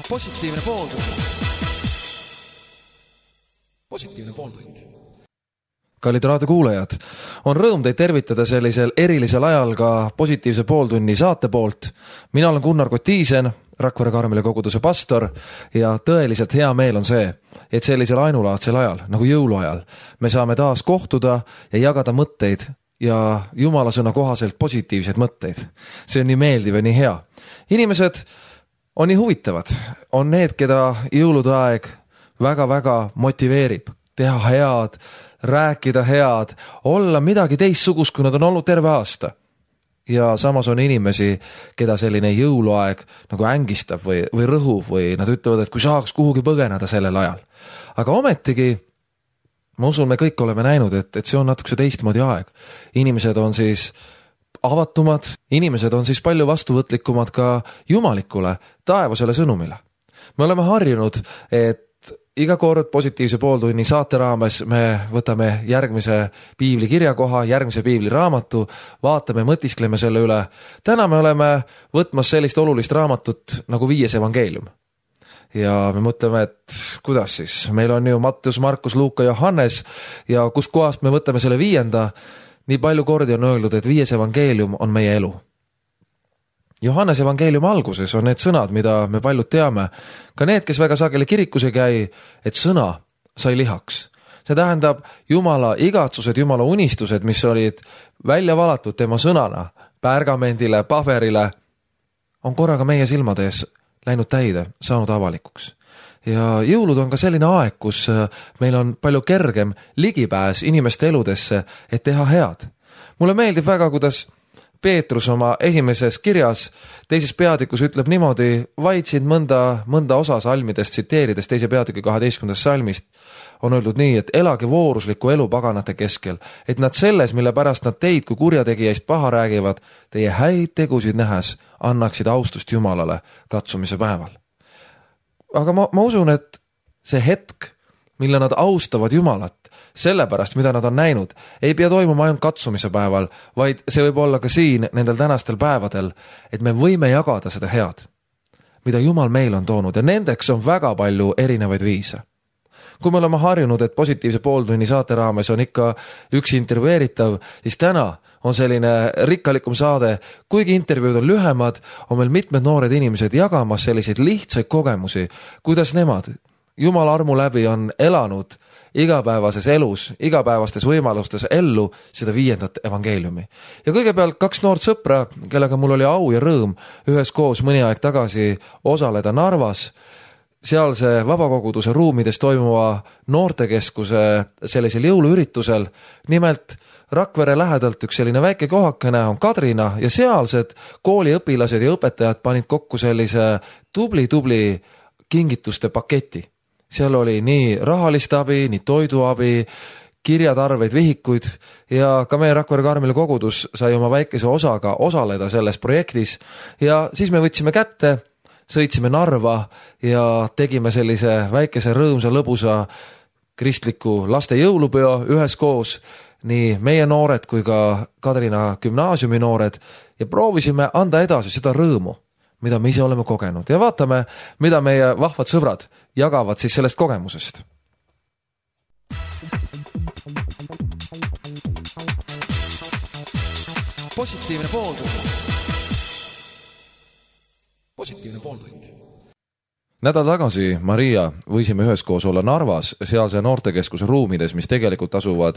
Positiivne pooltund. Positiivne pooltund. Kallid raadiokuulajad, on rõõm teid tervitada sellisel erilisel ajal ka Positiivse pooltunni saate poolt. Mina olen Gunnar Kotiisen, Rakvere Karmeli koguduse pastor ja tõeliselt hea meel on see, et sellisel ainulaadsel ajal, nagu jõuluajal, me saame taas kohtuda ja jagada mõtteid ja Jumala sõna kohaselt positiivseid mõtteid. See on nii meeldiv ja nii hea. Inimesed on nii huvitavad, on need, keda jõulude aeg väga-väga motiveerib, teha head, rääkida head, olla midagi teistsugust, kui nad on olnud terve aasta. Ja samas on inimesi, keda selline jõuluaeg nagu ängistab või rõhuv või nad ütlevad, et kui saaks kuhugi põgeneda sellel ajal. Aga ometigi, ma usun, me kõik oleme näinud, et see on natukese teistmoodi aeg. Inimesed on siis avatumad, inimesed on siis palju vastuvõtlikumad ka jumalikule, taevasele sõnumile. Me oleme harjunud, et iga kord Positiivse pooltunni saate raames me võtame järgmise piibli kirjakoha, järgmise piibli raamatu, vaatame, mõtiskleme selle üle. Täna me oleme võtmas sellist olulist raamatut nagu 5 evangeelium. Ja me mõtleme, et kuidas siis? Meil on ju Matteus, Markus, Luuka, Johannes ja kust kohast me võtame selle 5. Nii palju kordi on öeldud, et 5 evangeelium on meie elu. Johannes evangeelium alguses on need sõnad, mida me paljud teame. Ka need, kes väga sageli kirikus ei käi, et sõna sai lihaks. See tähendab Jumala igatsused, Jumala unistused, mis olid välja valatud tema sõnana, pärgamendile, paberile, on korraga meie silmade ees läinud täide, saanud avalikuks. Ja jõulud on ka selline aeg, kus meil on palju kergem ligipääs inimeste eludesse, et teha head. Mulle meeldib väga, kuidas Peetrus oma esimeses kirjas 2. peatükus ütleb niimoodi, vaid siin mõnda osa salmidest tsiteerides 2. peatüki 12. salmist on öeldud nii, et elage voorusliku elu paganate keskel, et nad selles, mille pärast nad teid kui kurjategijaist paha räägivad, teie häid tegusid nähes annaksid austust Jumalale katsumise päeval. Aga ma usun, et see hetk, mille nad austavad Jumalat, sellepärast, mida nad on näinud, ei pea toimuma ainult katsumise päeval, vaid see võib olla ka siin nendel tänastel päevadel, et me võime jagada seda head, mida Jumal meil on toonud ja nendeks on väga palju erinevaid viise. Kui me oleme harjunud, et Positiivse pooltunni saate raames on ikka üks intervjueeritav, siis täna on selline rikkalikum saade, kuigi intervjuud on lühemad, on meil mitmed noored inimesed jagamas selliseid lihtsaid kogemusi, kuidas nemad Jumala armu läbi on elanud igapäevases elus, igapäevastes võimalustes ellu seda 5. evangeeliumi. Ja kõigepealt 2 noort sõpra, kellega mul oli au ja rõõm üheskoos mõni aeg tagasi osaleda Narvas, sealse vabakoguduse ruumides toimuva noortekeskuse sellisel jõuluüritusel. Nimelt Rakvere lähedalt üks selline väike kohakene on Kadrina ja sealsed kooliõpilased ja õpetajad panid kokku sellise tubli kingituste paketi. Seal oli nii rahalist abi, nii toiduabi, kirjatarveid, vihikuid ja ka meie Rakvere Karmeli kogudus sai oma väikese osaga osaleda selles projektis ja siis me võtsime kätte, sõitsime Narva ja tegime sellise väikese rõõmsa lõbusa kristliku laste jõulupeo üheskoos, nii meie noored kui ka Kadrina gümnaasiumi noored ja proovisime anda edasi seda rõõmu, mida me ise oleme kogenud ja vaatame, mida meie vahvad sõbrad jagavad siis sellest kogemusest. Positiivne pooltund. Positiivne pooltund. Nädal tagasi, Maria, võisime üheskoos olla Narvas, sealse noortekeskuse ruumides, mis tegelikult asuvad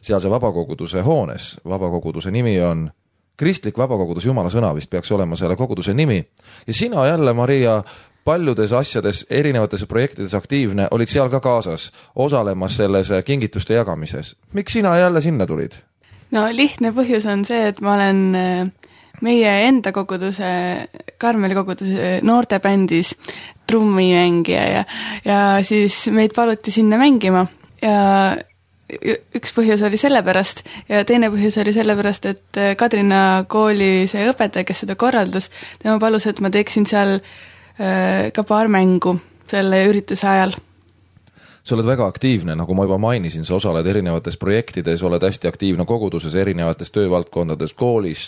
sealse vabakoguduse hoones. Vabakoguduse nimi on Kristlik vabakogudus Jumala sõna, vist peaks olema selle koguduse nimi. Ja sina jälle, Maria, paljudes asjades, erinevates projektides aktiivne, olid seal ka kaasas, osalemas selles kingituste jagamises. Miks sina jälle sinna tulid? No lihtne põhjus on see, et ma olen meie enda koguduse, Karmeli koguduse noortebändis trummimängija ja siis meid paluti sinna mängima ja üks põhjus oli sellepärast ja teine põhjus oli sellepärast, et Kadrina kooli see õpetaja, kes seda korraldas, tema palus, et ma teeksin seal ka paar mängu selle ürituse ajal. Sa oled väga aktiivne, nagu ma juba mainisin, sa osaled erinevates projektides, oled hästi aktiivne koguduses, erinevates töövaldkondades, koolis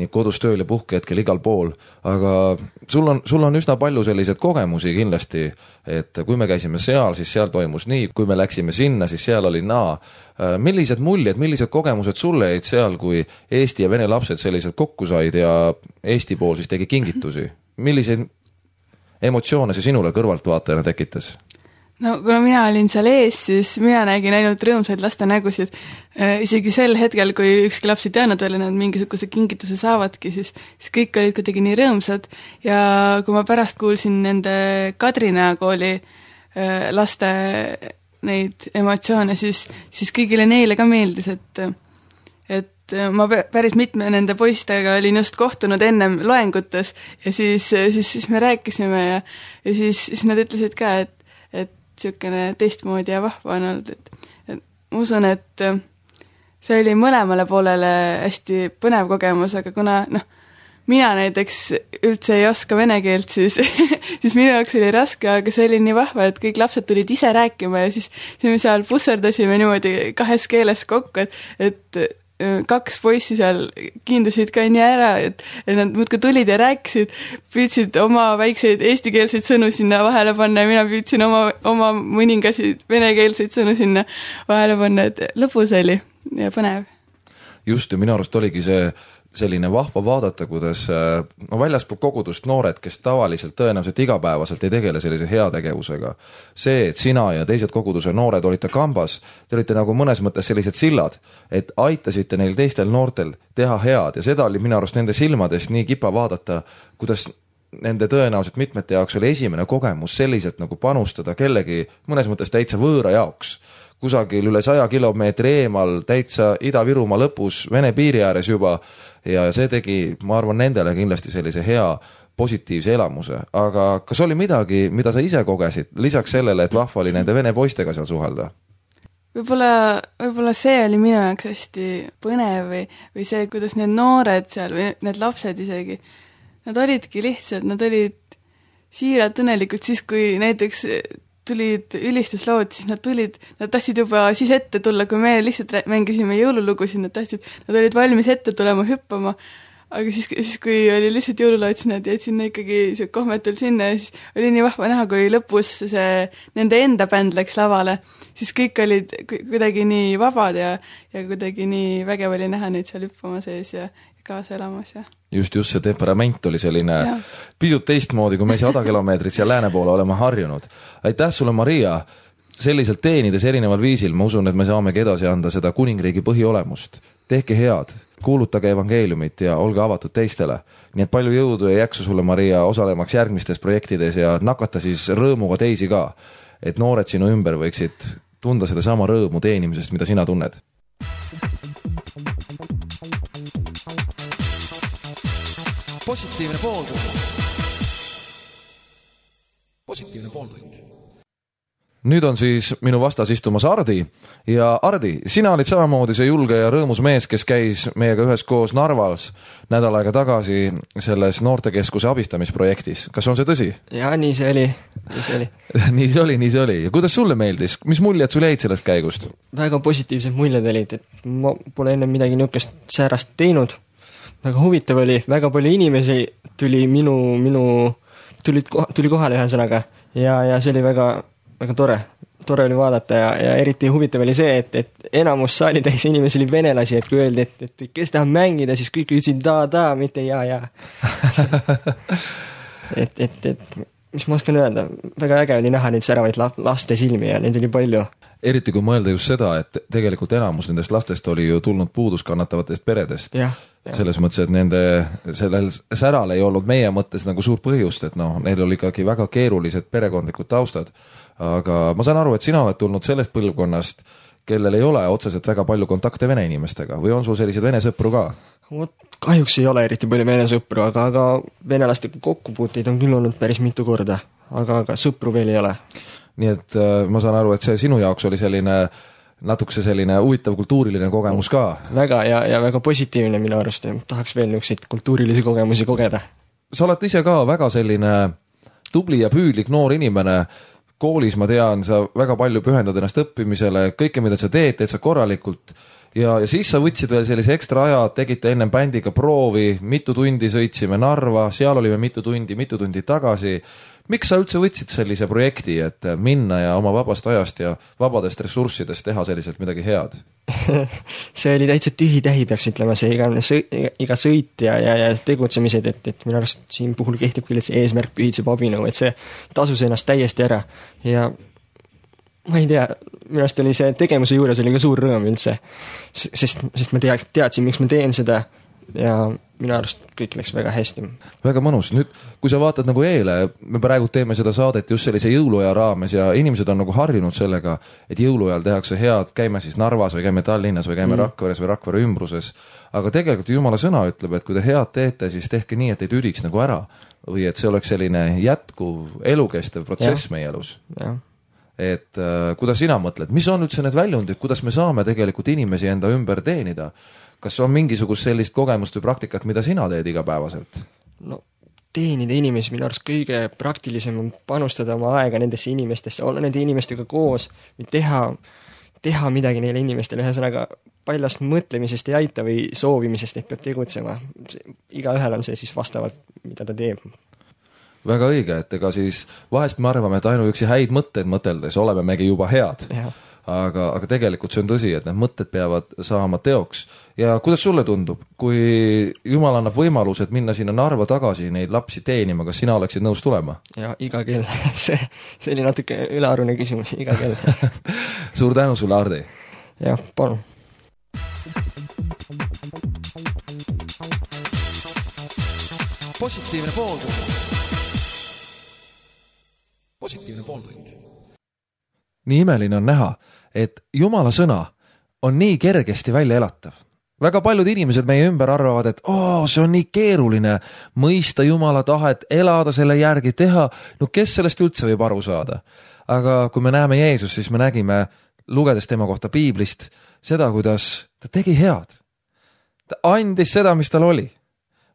nii kodus tööl ja puhkehetkel igal pool, aga sul on üsna palju selliseid kogemusi kindlasti, et kui me käisime seal, siis seal toimus nii, kui me läksime sinna, siis seal oli naa. Millised muljed, millised kogemused sulle jäid seal, kui Eesti ja vene lapsed selliselt kokku said ja Eesti pool siis tegi kingitusi? Milliseid emotsioone see sinule kõrvaltvaatajana tekitas? No kuna mina olin seal ees, siis mina nägin ainult rõõmsaid laste nägusid. Isegi sel hetkel, kui ükski laps ei teadnud veel, nad mingisuguse kingituse saavadki, siis kõik olid kuidagi nii rõõmsad. Ja kui ma pärast kuulsin nende Kadrina kooli laste neid emotsioone, siis kõigile neile ka meeldis, et ma päris mitme nende poistega olin just kohtunud ennem loengutes ja siis me rääkisime ja siis nad ütlesid ka, et niisugune teistmoodi ja vahva on olnud, et ma usun, et see oli mõlemale poolele hästi põnev kogemus, aga kuna mina näiteks üldse ei oska vene keelt, siis minu jaoks oli raske, aga see oli nii vahva, et kõik lapsed tulid ise rääkima ja siis me seal pusserdasime niimoodi 2 keeles kokku, et 2 poissi seal kiindusid ka nii ära, et nad muudkui tulid ja rääkisid, püüdsid oma väikseid eestikeelseid sõnu sinna vahele panna ja mina püüdsin oma mõningasid venekeelseid sõnu sinna vahele panna, et lõbus oli ja põnev. Just, ja minu arust oligi see selline vahva vaadata, kuidas väljaspool kogudust noored, kes tavaliselt tõenäoliselt igapäevaselt ei tegele sellise heategevusega. See, et sina ja teised koguduse noored olite kambas, te olite nagu mõnes mõttes sellised sillad, et aitasite neil teistel noortel teha head ja seda oli minu arust nende silmadest nii kipa vaadata, kuidas nende tõenäoliselt mitmete jaoks oli esimene kogemus selliselt nagu panustada kellegi mõnes mõttes täitsa võõra jaoks. Kusagil üle 100 kilomeetri eemal, täitsa Ida-Virumaa lõpus, Vene piiri ääres juba ja see tegi, ma arvan, nendele kindlasti sellise hea positiivse elamuse. Aga kas oli midagi, mida sa ise kogesid, lisaks sellele, et vahva oli nende vene poistega seal suhelda? Võib-olla see oli minu jaoks hästi põnev või see, kuidas need noored seal või need lapsed isegi, nad olidki lihtsalt, nad olid siiralt õnnelikult siis, kui näiteks tulid ülistuslood, siis nad tahtsid juba siis ette tulla, kui me lihtsalt mängisime jõululugusid, nad olid valmis ette tulema hüppama, aga siis kui oli lihtsalt jõululaud, siis nad jäid sinna ikkagi kohmetul sinna ja siis oli nii vahva näha, kui lõpus see nende enda bänd läks lavale, siis kõik olid kuidagi nii vabad ja kuidagi nii vägev oli näha neid seal hüppama sees ja kaasa elamas ja just see temperament oli selline pisut teistmoodi, kui me 100 kilomeetrit seal lääne poole oleme harjunud. Aitäh sulle, Maria, selliselt teenides erineval viisil, ma usun, et me saamegi edasi anda seda kuningriigi põhiolemust. Tehke head, kuulutage evangeeliumit ja olge avatud teistele. Nii et palju jõudu ja jaksu sulle, Maria, osalemaks järgmistes projektides ja nakata siis rõõmuga teisi ka, et noored sinu ümber võiksid tunda seda sama rõõmu teenimisest, mida sina tunned. Positiivne pooltund. Nüüd on siis minu vastas istumas Ardi ja Ardi, sina olid samamoodi see julge ja rõõmus mees, kes käis meiega ühes koos Narvas nädal aega tagasi selles noortekeskuse abistamisprojektis. Kas on see tõsi? Jaa, nii see oli. Nii see oli. Ja kuidas sulle meeldis? Mis muljed sul jäid sellest käigust? Väga positiivsed muljed olid, et ma pole enne midagi niukest säärast teinud. Väga huvitav oli, väga palju inimesi tuli tuli kohale ühesõnaga ja see oli väga tore oli vaadata ja eriti huvitav oli see, et enamus saalitäis inimesi oli venelasi, et kui öeldi, et kes tahab mängida, siis kõik ütlesid da, mitte ja. et mis ma oskan öelda, väga äge oli näha neid säravaid laste silmi ja neid oli palju. Eriti kui mõelda just seda, et tegelikult enamus nendest lastest oli ju tulnud puuduskannatavatest peredest. Selles mõttes, et nende sellel säral ei olnud meie mõttes nagu suur põhjust, et neil oli ikkagi väga keerulised perekondlikud taustad. Aga ma saan aru, et sina oled tulnud sellest põlvkonnast, kellel ei ole otseselt väga palju kontakte vene inimestega või on sul sellised vene sõpru ka? Kahjuks ei ole eriti palju vene sõpru, aga venelastega kokkupuuteid on küll olnud päris mitu korda, aga sõpru veel ei ole. Nii et ma saan aru, et see sinu jaoks oli natukese selline huvitav kultuuriline kogemus ka. Väga ja väga positiivne minu arust. Tahaks veel niisuguseid kultuurilisi kogemusi kogeda. Sa oled ise ka väga selline tubli ja püüdlik noor inimene. Koolis, ma tean, sa väga palju pühendad ennast õppimisele, kõike, mida sa teed sa korralikult ja siis sa võtsid veel sellise ekstra aja, tegite ennem bändiga proovi, mitu tundi sõitsime Narva, seal olime mitu tundi tagasi. Miks sa üldse võtsid sellise projekti, et minna ja oma vabast ajast ja vabadest ressurssidest teha selliselt midagi head? See oli täitsa tühi-tähi, peaks ütlema, see iga sõit ja tegutsemised, et minu arust siin puhul kehtib küll, et see eesmärk pühitseb abinõu, et see tasus ennast täiesti ära ja ma ei tea, minu arust oli see tegevuse juures oli ka suur rõõm üldse, sest ma teadsin, miks ma teen seda ja minu arust kõik läks väga hästi. Väga mõnus. Nüüd, kui sa vaatad nagu eile, me praegu teeme seda saadet just sellise jõuluaja raames ja inimesed on nagu harjunud sellega, et jõuluajal tehakse head, käime siis Narvas või käime Tallinnas või käime Rakveres või Rakvere ümbruses. Aga tegelikult Jumala sõna ütleb, et kui te head teete, siis tehke nii, et ei tüdiks nagu ära või et see oleks selline jätkuv elukestev protsess meie elus. Ja. Et kuidas sina mõtled, mis on üldse need väljundid, kuidas me saame tegelikult inimesi enda ümber teenida? Kas on mingisugust sellist kogemust või praktikat, mida sina teed igapäevaselt? No teenida inimesi minu arust kõige praktilisem on panustada oma aega nendesse inimestesse, olla nende inimestega koos, teha midagi neile inimestele, ühesõnaga paljast mõtlemisest ei aita või soovimisest, et peab tegutsema. Igaühel on see siis vastavalt, mida ta teeb. Väga õige, et ega siis vahest me arvame, et ainuüksi häid mõtteid mõteldes oleme megi juba head. Aga tegelikult see on tõsi, et need mõtted peavad saama teoks. Ja kuidas sulle tundub, kui Jumal annab võimalused minna sinna Narva tagasi neid lapsi teenima, kas sina oleksid nõus tulema? Ja iga kell. See oli natuke ülearune küsimus, iga kell. Suur tänu sulle, Hardi. Ja, palun. Positiivne pooltund. Nii imeline on näha, et Jumala sõna on nii kergesti välja elatav. Väga paljud inimesed meie ümber arvavad, et see on nii keeruline mõista Jumala tahet, elada selle järgi, teha. No kes sellest üldse võib aru saada? Aga kui me näeme Jeesus, siis me nägime, lugedes tema kohta Piiblist, seda, kuidas ta tegi head. Ta andis seda, mis tal oli.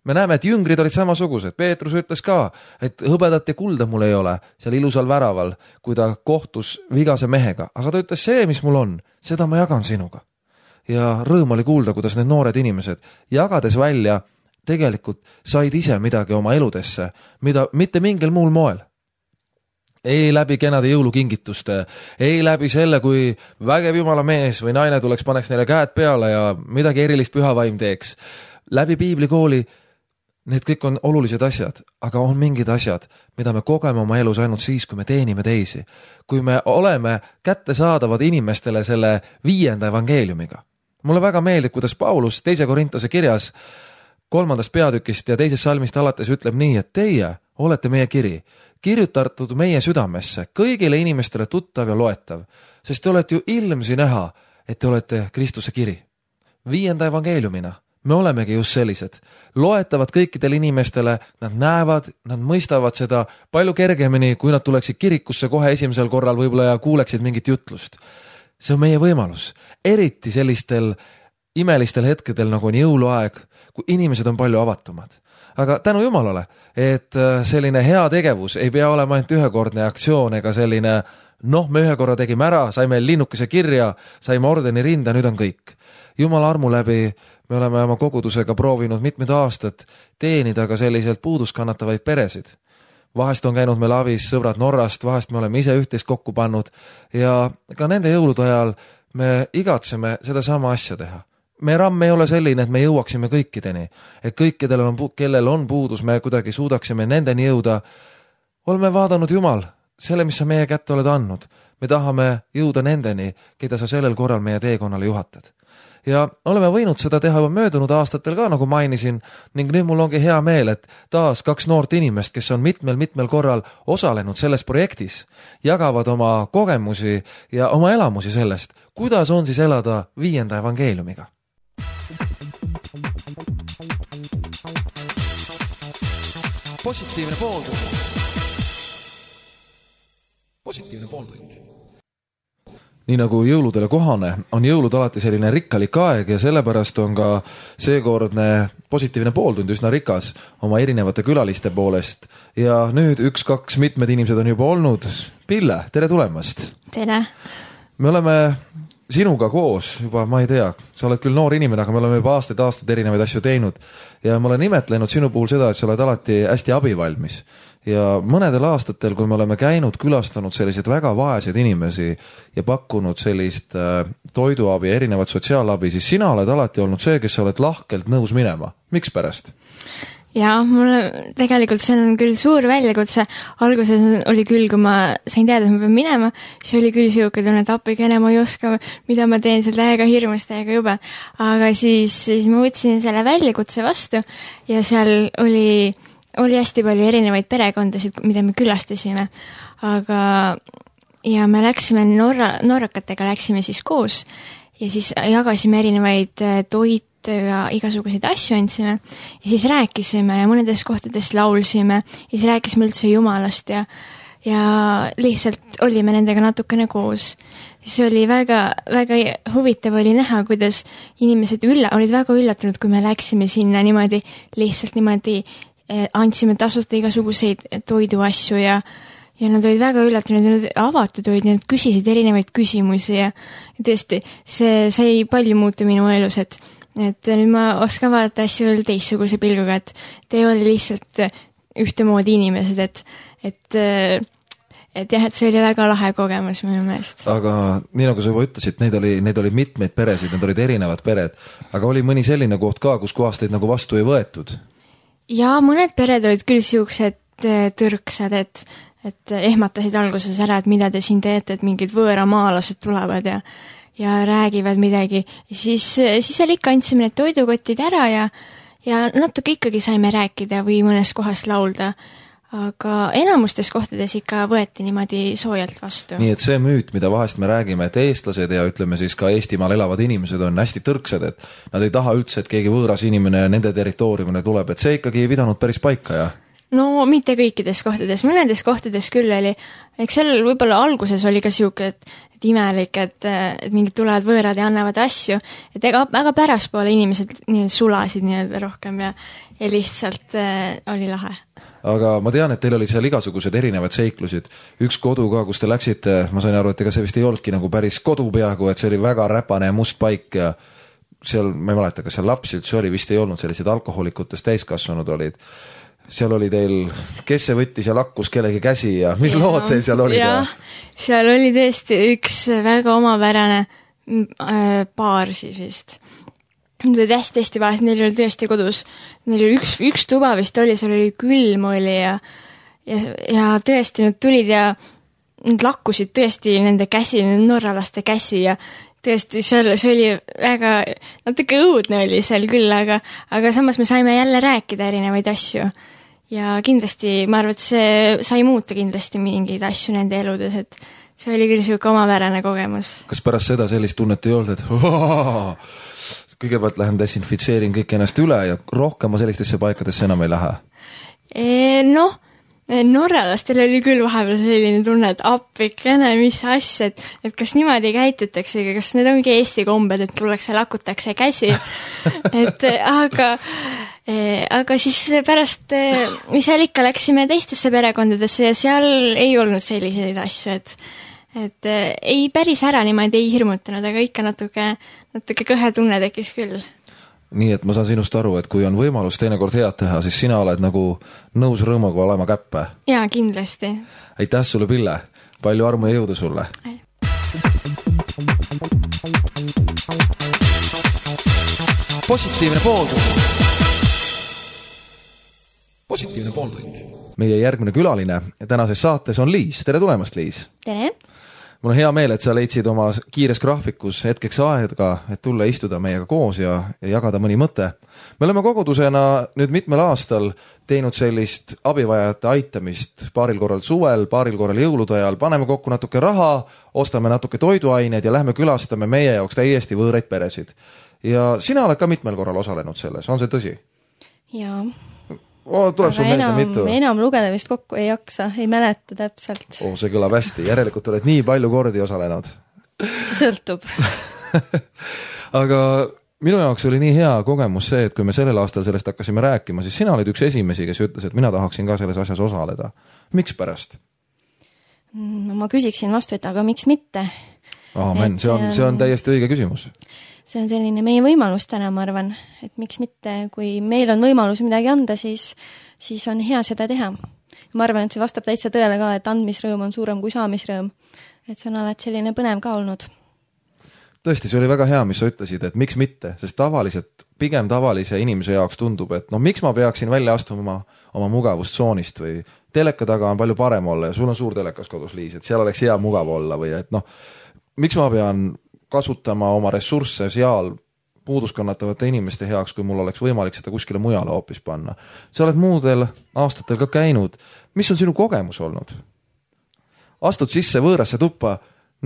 Me näeme, et jüngrid olid samasugused. Peetrus ütles ka, et hõbedat ja kulda mul ei ole seal ilusal väraval, kui ta kohtus vigase mehega. Aga ta ütles, see, mis mul on, seda ma jagan sinuga. Ja rõõm oli kuulda, kuidas need noored inimesed jagades välja tegelikult said ise midagi oma eludesse, mida mitte mingil muul moel. Ei läbi kenade jõulukingituste, ei läbi selle, kui vägev Jumala mees või naine tuleks, paneks neile käed peale ja midagi erilist pühavaim teeks. Läbi piiblikooli need kõik on olulised asjad, aga on mingid asjad, mida me kogeme oma elus ainult siis, kui me teenime teisi. Kui me oleme kättesaadavad inimestele selle 5. evangeeliumiga. Mulle väga meeldib, kuidas Paulus 2. Korintuse kirjas 3. peatükist ja 2. salmist alates ütleb nii, et teie olete meie kiri, kirjutatud meie südamesse, kõigile inimestele tuttav ja loetav, sest te olete ju ilmsi näha, et te olete Kristuse kiri. 5. evangeeliumina. Me olemegi just sellised. Loetavad kõikidele inimestele, nad näevad, nad mõistavad seda palju kergemini, kui nad tuleksid kirikusse kohe esimesel korral võib-olla ja kuuleksid mingit jutlust. See on meie võimalus. Eriti sellistel imelistel hetkedel, nagu on jõuluaeg, kui inimesed on palju avatumad. Aga tänu Jumalale, et selline hea tegevus ei pea olema ainult ühekordne aktsioon ega selline, me ühe korra tegime ära, saime linnukese kirja, saime ordeni rinda, nüüd on kõik. Jumala armu läbi me oleme oma kogudusega proovinud mitmed aastad teenida ka selliselt puudust kannatavaid peresid. Vahest on käinud meil avis sõbrad Norrast, vahest me oleme ise üht-teist kokku pannud ja ka nende jõulude ajal me igatseme seda sama asja teha. Me ramm ei ole selline, et me jõuaksime kõikideni, et kellel on puudus, me kuidagi suudaksime nendeni jõuda. Oleme vaadanud Jumal, selle, mis sa meie kätte oled andnud. Me tahame jõuda nendeni, keda sa sellel korral meie teekonnale juhatad. Ja oleme võinud seda teha juba möödunud aastatel ka, nagu mainisin, ning nüüd mul ongi hea meel, et taas 2 noort inimest, kes on mitmel korral osalenud selles projektis, jagavad oma kogemusi ja oma elamusi sellest, kuidas on siis elada 5. evangeeliumiga. Positiivne pooltund. Nii nagu jõuludele kohane, on jõulud alati selline rikkalik aeg ja sellepärast on ka seekordne positiivne pooltund üsna rikas oma erinevate külaliste poolest. Ja nüüd 1-2 mitmed inimesed on juba olnud. Pille, tere tulemast! Tere! Me oleme sinuga koos juba, ma ei tea, sa oled küll noor inimene, aga me oleme juba aastaid erinevaid asju teinud ja ma olen imetlenud sinu puhul seda, et sa oled alati hästi abivalmis. Ja mõnedel aastatel, kui me oleme käinud, külastanud selliseid väga vaeseid inimesi ja pakkunud sellist toiduabi, erinevat sotsiaalabi, siis sina oled alati olnud see, kes sa oled lahkelt nõus minema. Miks pärast? Ja mulle tegelikult see on küll suur väljakutse. Alguses oli küll, kui ma sain teada, et ma pean minema, siis oli küll siuke tunne, et appi kene ma ei oska, mida ma teen seal täiega hirmus, täiega jube. Aga siis ma võtsin selle väljakutse vastu ja seal oli hästi palju erinevaid perekondasid, mida me külastasime. Aga ja me läksime norrakatega läksime siis koos ja siis jagasime erinevaid toit ja igasuguseid asju andsime ja siis rääkisime ja mõnedes kohtades laulsime ja siis rääkisime üldse Jumalast ja lihtsalt olime nendega natukene koos. See oli väga, väga huvitav oli näha, kuidas inimesed olid väga üllatunud, kui me läksime sinna niimoodi, lihtsalt niimoodi andsime tasuta igasuguseid toiduasju ja nad olid väga üllatunud, nad avatud olid, nad küsisid erinevaid küsimusi ja tõesti, see sai palju muuta minu elus, et nüüd ma oskan vaadata asju veel teistsuguse pilguga, et te ei ole lihtsalt ühtemoodi inimesed, et see oli väga lahe kogemus minu meelest. Aga nii nagu sa juba ütlesid, neid oli mitmeid peresid, need olid erinevad pered, aga oli mõni selline koht ka, kus kohast teid nagu vastu ei võetud? Ja mõned pered olid küll siuksed tõrksad, et ehmatasid alguses ära, et mida te siin teete, et mingid võõramaalased tulevad ja räägivad midagi. Siis seal ikka andsime need toidukotid ära ja natuke ikkagi saime rääkida või mõnes kohas laulda. Aga enamustes kohtades ikka võeti niimoodi soojalt vastu. Nii et see müüt, mida vahest me räägime, et eestlased ja ütleme siis ka Eestimaal elavad inimesed on hästi tõrksad, et nad ei taha üldse, et keegi võõras inimene nende territooriumile tuleb, et see ikkagi ei pidanud päris paika, jah? No mitte kõikides kohtades, mõnedes kohtades küll oli, eks seal võib-olla alguses oli ka siuke, et imelik, et mingid tulevad võõrad ja annavad asju, et väga päraspoole inimesed sulasid nii-öelda rohkem ja lihtsalt oli lahe. Aga ma tean, et teil oli seal igasugused erinevad seiklusid. Üks kodu ka, kus te läksite, ma sain aru, et ega see vist ei olnudki nagu päris kodu peaaegu, et see oli väga räpane ja must paik ja seal, ma ei mäleta, kas seal lapsi üldse oli, vist ei olnud sellised alkoholikutest täiskasvanud olid. Seal oli teil, kes see võttis ja lakkus kellegi käsi ja mis lood teil seal olid? Seal oli tõesti üks väga omapärane paar siis vist. Nad olid hästi vahest, neil oli tõesti kodus, neil oli üks tuba vist oli, seal oli külm oli ja tõesti nad tulid ja nad lakkusid tõesti nende käsi, nende norralaste käsi ja tõesti see oli väga, natuke õudne oli seal küll, aga samas me saime jälle rääkida erinevaid asju ja kindlasti, ma arvan, et see sai muuta kindlasti mingeid asju nende eludes, et see oli küll siuke omapärane kogemus. Kas pärast seda sellist tunnet ei olnud, et kõigepealt lähen desinfitseerin kõik ennast üle ja rohkem ma sellistesse paikadesse enam ei lähe? Norralastel oli küll vahepeal selline tunne, et appikene, mis asja, et kas niimoodi käitutakse, kas need ongi Eesti kombed, et tullakse lakutakse käsi. Aga siis pärast me seal ikka läksime teistesse perekondadesse ja seal ei olnud selliseid asju, et ei päris ära niimoodi ei hirmutanud, aga ikka natuke kõhe tunne tekkis küll. Nii et ma saan sinust aru, et kui on võimalus teinekord head teha, siis sina oled nagu nõus rõõmuga olema käppe. Jaa, kindlasti. Aitäh sulle, Pille. Palju armu ja jõudu sulle. Positiivne pooltund. Meie järgmine külaline tänases saates on Liis. Tere tulemast, Liis. Tere. Mul on hea meel, et sa leidsid oma kiires graafikus hetkeks aega, et tulla istuda meiega koos ja jagada mõni mõte. Me oleme kogudusena nüüd mitmel aastal teinud sellist abivajajate aitamist paaril korral suvel, paaril korral jõulude ajal, paneme kokku natuke raha, ostame natuke toiduaineid ja lähme külastame meie jaoks täiesti võõraid peresid. Ja sina oled ka mitmel korral osalenud selles, on see tõsi? Jaa. Tuleb sul meelde mitu? Enam lugeda vist kokku ei jaksa, ei mäleta täpselt. See kõlab hästi, järelikult oled nii palju kordi osalenud. Sõltub. Aga minu jaoks oli nii hea kogemus see, et kui me sellel aastal sellest hakkasime rääkima, siis sina olid üks esimesi, kes ütles, et mina tahaksin ka selles asjas osaleda. Miks pärast? No ma küsiksin vastu, et aga miks mitte? Aamen, see on täiesti õige küsimus. See on selline meie võimalus täna, ma arvan, et miks mitte, kui meil on võimalus midagi anda, siis on hea seda teha. Ma arvan, et see vastab täitsa tõele ka, et andmisrõõm on suurem kui saamisrõõm. Et see on alati selline põnev ka olnud. Tõesti, see oli väga hea, mis sa ütlesid, et miks mitte, sest pigem tavalise inimese jaoks tundub, et miks ma peaksin välja astuma oma mugavustsoonist või teleka taga on palju parem olla ja sul on suur telekas kodus, Liis, et seal oleks hea mugav olla või et miks ma pean kasutama oma ressursse seal puuduskannatavate inimeste heaks, kui mul oleks võimalik seda kuskile mujale hoopis panna. Sa oled muudel aastatel ka käinud. Mis on sinu kogemus olnud? Astud sisse võõrasse tuppa,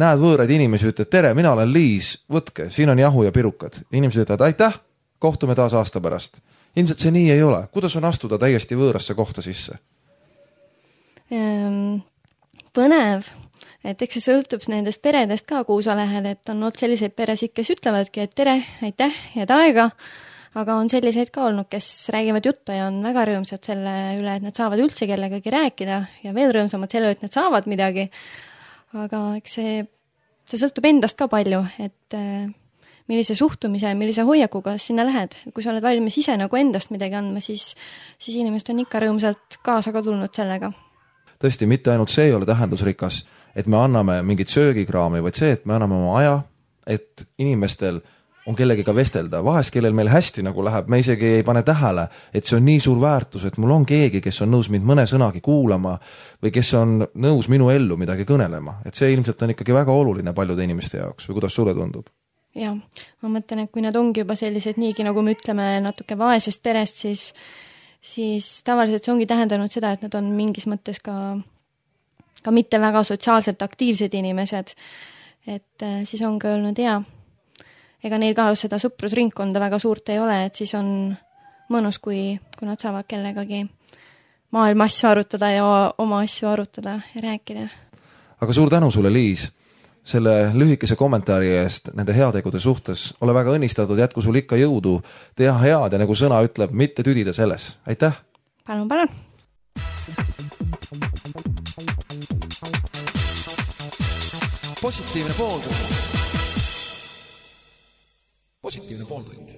näed võõraid inimesi, ütled, tere, mina olen Liis, võtke, siin on jahu ja pirukad. Inimesed ütlevad, aitäh, kohtume taas aasta pärast. Ilmselt see nii ei ole. Kuidas on astuda täiesti võõrasse kohta sisse? Põnev. Et eks see sõltub nendest peredest ka, kuhu sa lähed, et on olnud selliseid peresid, kes ütlevadki, et tere, aitäh, head aega, aga on selliseid ka olnud, kes räägivad juttu ja on väga rõõmsad selle üle, et nad saavad üldse kellegagi rääkida ja veel rõõmsamad selle, et nad saavad midagi. Aga eks see sõltub endast ka palju, et millise suhtumise, millise hoiakuga sinna lähed. Kui sa oled valmis ise nagu endast midagi andma, siis inimesed on ikka rõõmsalt kaasa ka tulnud sellega. Tõesti, mitte ainult see ei ole tähendusrikas, et me anname mingit söögikraami, vaid see, et me anname oma aja, et inimestel on kellegiga vestelda. Vahest, kellel meil hästi nagu läheb, me isegi ei pane tähele, et see on nii suur väärtus, et mul on keegi, kes on nõus mind mõne sõnagi kuulama või kes on nõus minu ellu midagi kõnelema. Et see ilmselt on ikkagi väga oluline paljude inimeste jaoks või kuidas sulle tundub? Ja, ma mõtlen, et kui nad ongi juba sellised niigi, nagu me ütleme, natuke vaesest perest, siis tavaliselt see ongi tähendanud seda, et nad on mingis mõttes ka mitte väga sotsiaalselt aktiivsed inimesed. Et siis ongi öelnud, ega neil ka seda sõprusringkonda väga suurt ei ole, et siis on mõnus, kui nad saavad kellegagi maailma asju arutada ja oma asju arutada ja rääkida. Aga suur tänu sulle, Liis, selle lühikese kommentaari eest nende heategude suhtes. Ole väga õnnistatud, jätku sul ikka jõudu teha head ja nagu sõna ütleb, mitte tüdida selles. Aitäh! Palun! Positiivne pooltund.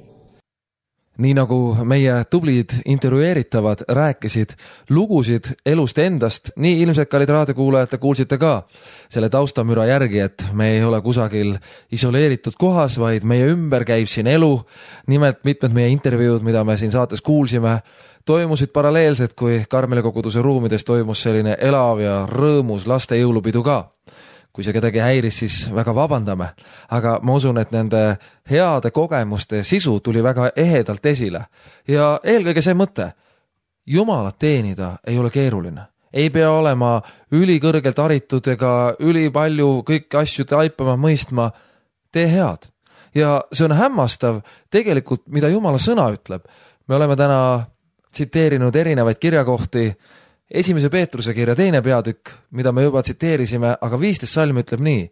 Nii nagu meie tublid intervjueeritavad rääkisid lugusid elust endast, nii ilmselt kallid raadiokuulajad kuulsite ka selle taustamüra järgi, et me ei ole kusagil isoleeritud kohas, vaid meie ümber käib siin elu. Nimelt mitmed meie intervjuud, mida me siin saates kuulsime, toimusid paralleelselt, kui Karmeli koguduse ruumides toimus selline elav ja rõõmus laste jõulupidu ka. Kui see kedagi häiris, siis väga vabandame, aga ma usun, et nende heade kogemuste sisu tuli väga ehedalt esile. Ja eelkõige see mõte, Jumalat teenida ei ole keeruline. Ei pea olema ülikõrgelt haritud ega ülipalju kõiki asju taipama, mõistma, tee head. Ja see on hämmastav tegelikult, mida Jumala sõna ütleb. Me oleme täna tsiteerinud erinevaid kirjakohti, 1. Peetruse kirja 2. peatükk, mida me juba tsiteerisime, aga 15 salm ütleb nii.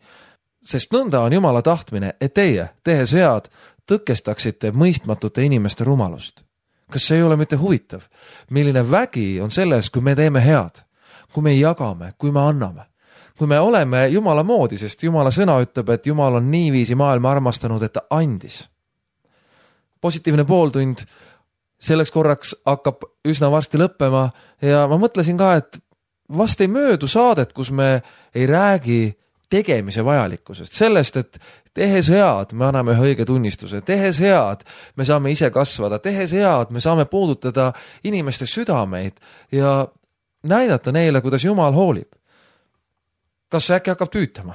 Sest nõnda on Jumala tahtmine, et teie, tehes head, tõkestaksite mõistmatute inimeste rumalust. Kas see ei ole mitte huvitav? Milline vägi on selles, kui me teeme head, kui me jagame, kui me anname, kui me oleme Jumala moodi, sest Jumala sõna ütleb, et Jumal on niiviisi maailma armastanud, et ta andis. Positiivne pooltund selleks korraks hakkab üsna varsti lõppema ja ma mõtlesin ka, et vast ei möödu saadet, kus me ei räägi tegemise vajalikkusest. Sellest, et tehes head, me anname ühe õige tunnistuse. Tehes head, me saame ise kasvada. Tehes head, me saame puudutada inimeste südameid ja näidata neile, kuidas Jumal hoolib. Kas äkki hakkab tüütama?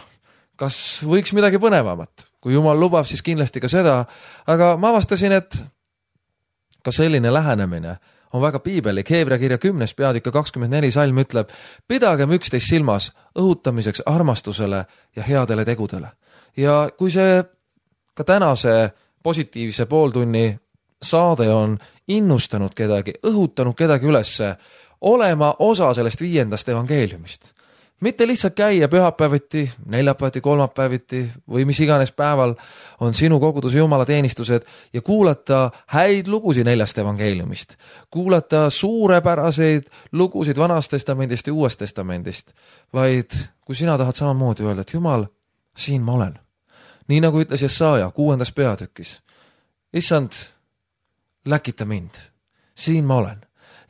Kas võiks midagi põnevamat? Kui Jumal lubab, siis kindlasti ka seda. Aga ma avastasin, et ka selline lähenemine on väga piibelik. Heebrea kirja 10. peatükk 24 salm ütleb, pidagem üksteist silmas õhutamiseks armastusele ja headele tegudele. Ja kui see ka tänase positiivse pooltunni saade on innustanud kedagi, õhutanud kedagi ülesse, olema osa sellest 5. evangeeliumist. Mitte lihtsalt käia pühapäeviti, neljapäeviti, kolmapäeviti või mis iganes päeval on sinu koguduse Jumala teenistused ja kuulata häid lugusid 4. evangeeliumist. Kuulata suurepäraseid lugusid Vanast testamendist ja Uuest testamendist. Vaid kui sina tahad samamoodi öelda, et Jumal, siin ma olen. nii nagu ütles Jesaja 6. peatükis. Issand, läkita mind, siin ma olen.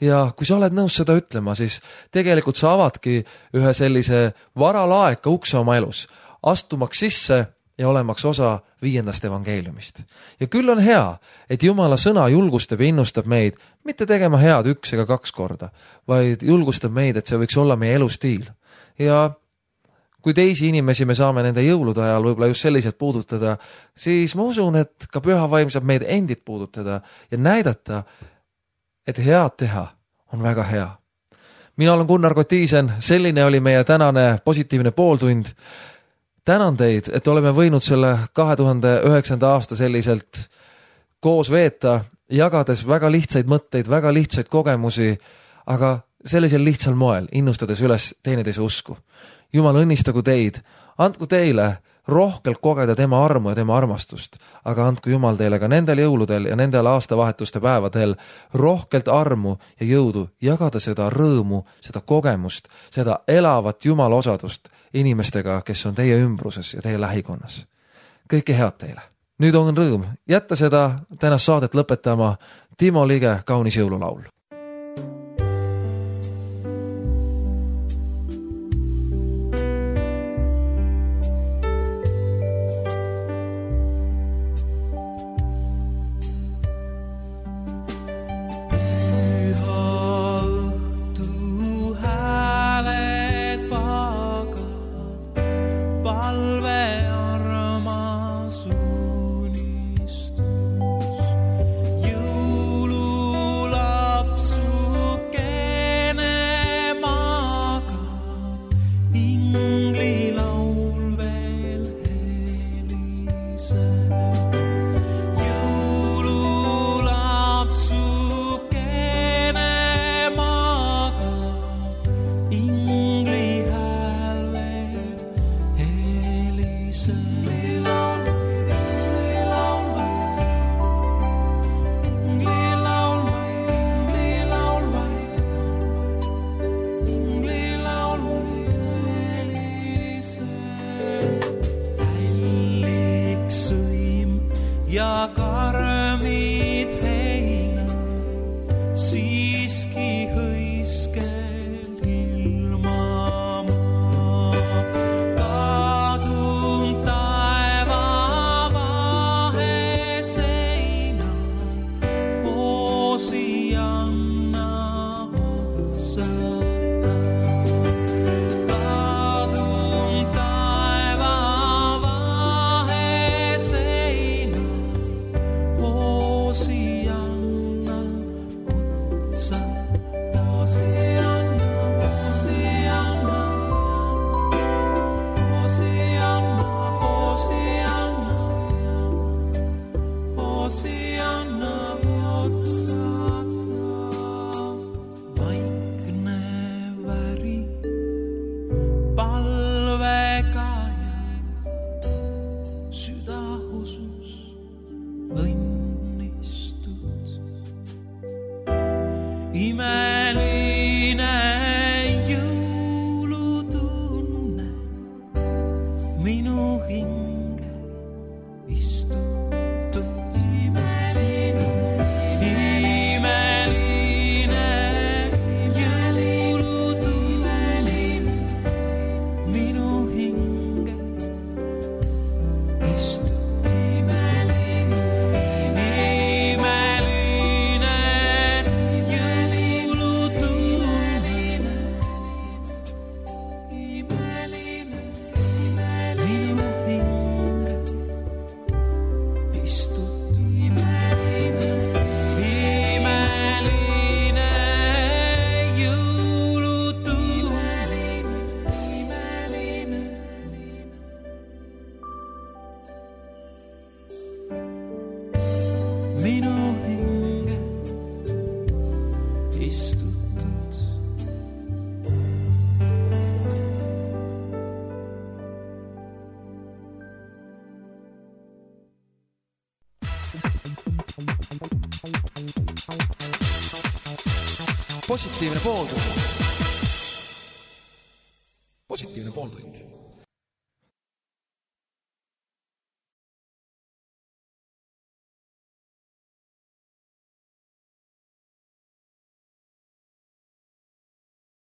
Ja kui sa oled nõus seda ütlema, siis tegelikult sa avadki ühe sellise varalaeka ukse oma elus, astumaks sisse ja olemaks osa 5. evangeeliumist. Ja küll on hea, et Jumala sõna julgustab ja innustab meid mitte tegema head 1 ega 2 korda, vaid julgustab meid, et see võiks olla meie elustiil. Ja kui teisi inimesi me saame nende jõulude ajal võib-olla just selliselt puudutada, siis ma usun, et ka püha vaim saab meid endid puudutada ja näidata, et head teha on väga hea. Mina olen Gunnar Kotiisen, selline oli meie tänane positiivne pooltund. Tänan teid, et oleme võinud selle 2009. aasta selliselt koos veeta, jagades väga lihtsaid mõtteid, väga lihtsaid kogemusi, aga sellisel lihtsal moel, innustades üles teineteise usku. Jumal õnnistagu teid, andku teile rohkelt kogeda tema armu ja tema armastust, aga andku Jumal teile ka nendel jõuludel ja nendel aastavahetuste päevadel rohkelt armu ja jõudu jagada seda rõõmu, seda kogemust, seda elavat Jumala osadust inimestega, kes on teie ümbruses ja teie lähikonnas. Kõike head teile. Nüüd on rõõm jätta seda tänast saadet lõpetama Timo Lige kaunis jõululaul. Ja karmid heina siiski hõiskel ilma maa. Kadun taeva vahe seina, oosi anna otsata. Kadun taeva vahe seina, Oceana, Oceana, vaikne väri, palvekaja, südahusus, õnnistud. Imeline jõulutunne minu hinge istutud. Imeline jõulutunne minu hinge istutud. Minu hinge istutud. Positiivne pooltund. Positiivne pooltund.